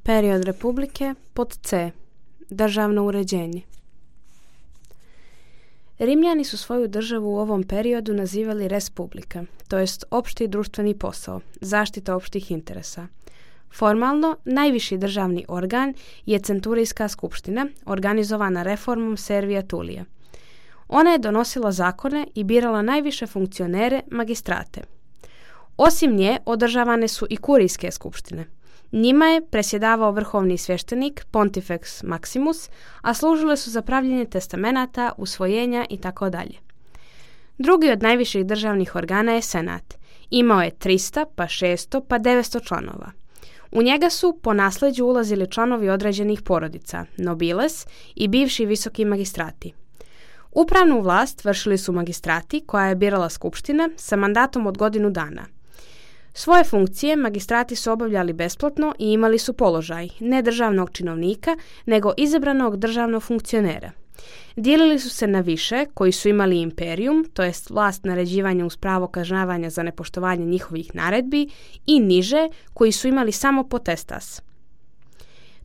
Period Republike pod C. Državno uređenje. Rimljani su svoju državu u ovom periodu nazivali res publica, to jest opšti društveni posao, zaštita opštih interesa. Formalno, najviši državni organ je centurijska skupština, organizovana reformom Servija Tulija. Ona je donosila zakone i birala najviše funkcionere, magistrate. Osim nje, održavane su i kurijske skupštine. Njima je presjedavao vrhovni svještenik Pontifex Maximus, a služile su za pravljenje testamenata, usvojenja itd. Drugi od najviših državnih organa je Senat. Imao je 300, pa 600, pa 900 članova. U njega su po nasleđu ulazili članovi određenih porodica, nobiles i bivši visoki magistrati. Upravnu vlast vršili su magistrati koja je birala skupština sa mandatom od godinu dana. Svoje funkcije magistrati su obavljali besplatno i imali su položaj ne državnog činovnika, nego izabranog državnog funkcionera. Dijelili su se na više koji su imali imperium, to jest vlast naređivanja uz pravo kažnjavanja za nepoštovanje njihovih naredbi, i niže koji su imali samo potestas,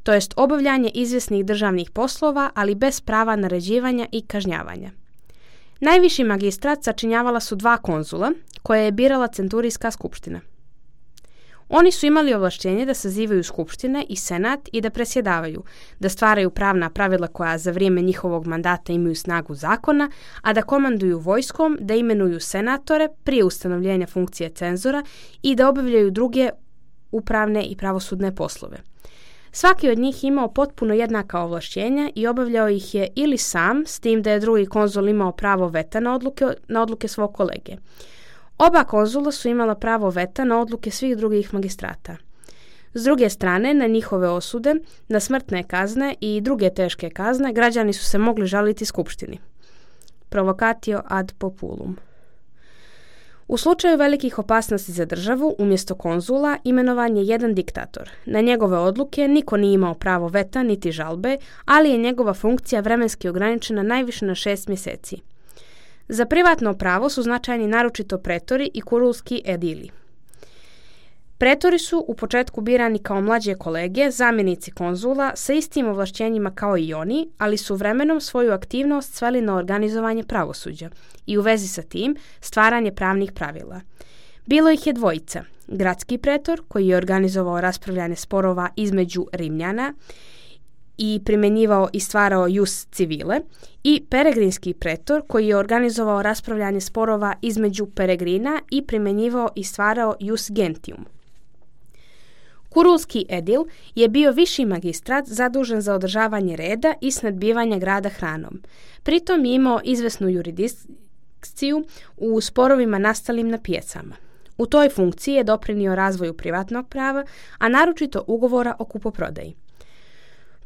to jest obavljanje izvjesnih državnih poslova, ali bez prava naređivanja i kažnjavanja. Najviši magistrat sačinjavala su 2 konzula koje je birala centurijska skupština. Oni su imali ovlaštenje da sazivaju skupštine i senat i da presjedavaju, da stvaraju pravna pravila koja za vrijeme njihovog mandata imaju snagu zakona, a da komanduju vojskom, da imenuju senatore prije ustanovljenja funkcije cenzora i da obavljaju druge upravne i pravosudne poslove. Svaki od njih imao potpuno jednaka ovlašćenja i obavljao ih je ili sam, s tim da je drugi konzul imao pravo veta na odluke svog kolege. Oba konzula su imala pravo veta na odluke svih drugih magistrata. S druge strane, na njihove osude, na smrtne kazne i druge teške kazne, građani su se mogli žaliti skupštini. Provocatio ad populum. U slučaju velikih opasnosti za državu, umjesto konzula, imenovan je jedan diktator. Na njegove odluke niko nije imao pravo veta niti žalbe, ali je njegova funkcija vremenski ograničena najviše na 6 mjeseci. Za privatno pravo su značajni naročito pretori i kurulski edili. Pretori su u početku birani kao mlađe kolege, zamjenici konzula sa istim ovlašćenjima kao i oni, ali su vremenom svoju aktivnost sveli na organizovanje pravosuđa i u vezi sa tim stvaranje pravnih pravila. Bilo ih je 2, gradski pretor koji je organizovao raspravljanje sporova između Rimljana i primjenjivao i stvarao jus civile, i peregrinski pretor koji je organizovao raspravljanje sporova između peregrina i primjenjivao i stvarao jus gentium. Kurulski edil je bio viši magistrat zadužen za održavanje reda i snadbivanje grada hranom. Pritom je imao izvesnu jurisdikciju u sporovima nastalim na pijacama. U toj funkciji je doprinio razvoju privatnog prava, a naročito ugovora o kupoprodaji.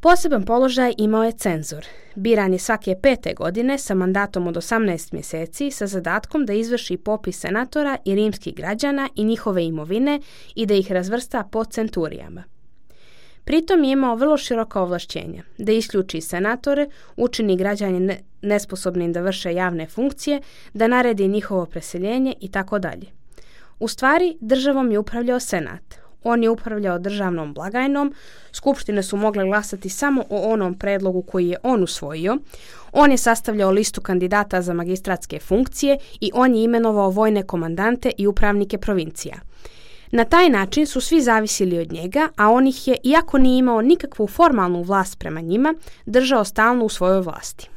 Poseban položaj imao je cenzor. Biran je svake 5. godine sa mandatom od 18 mjeseci sa zadatkom da izvrši popis senatora i rimskih građana i njihove imovine i da ih razvrsta po centurijama. Pritom je imao vrlo široka ovlašćenja, da isključi senatore, učini građane nesposobnim da vrše javne funkcije, da naredi njihovo preseljenje itd. U stvari, državom je upravljao senat. On je upravljao državnom blagajnom, skupštine su mogle glasati samo o onom predlogu koji je on usvojio, on je sastavljao listu kandidata za magistratske funkcije i on je imenovao vojne komandante i upravnike provincija. Na taj način su svi zavisili od njega, a on ih je, iako nije imao nikakvu formalnu vlast prema njima, držao stalno u svojoj vlasti.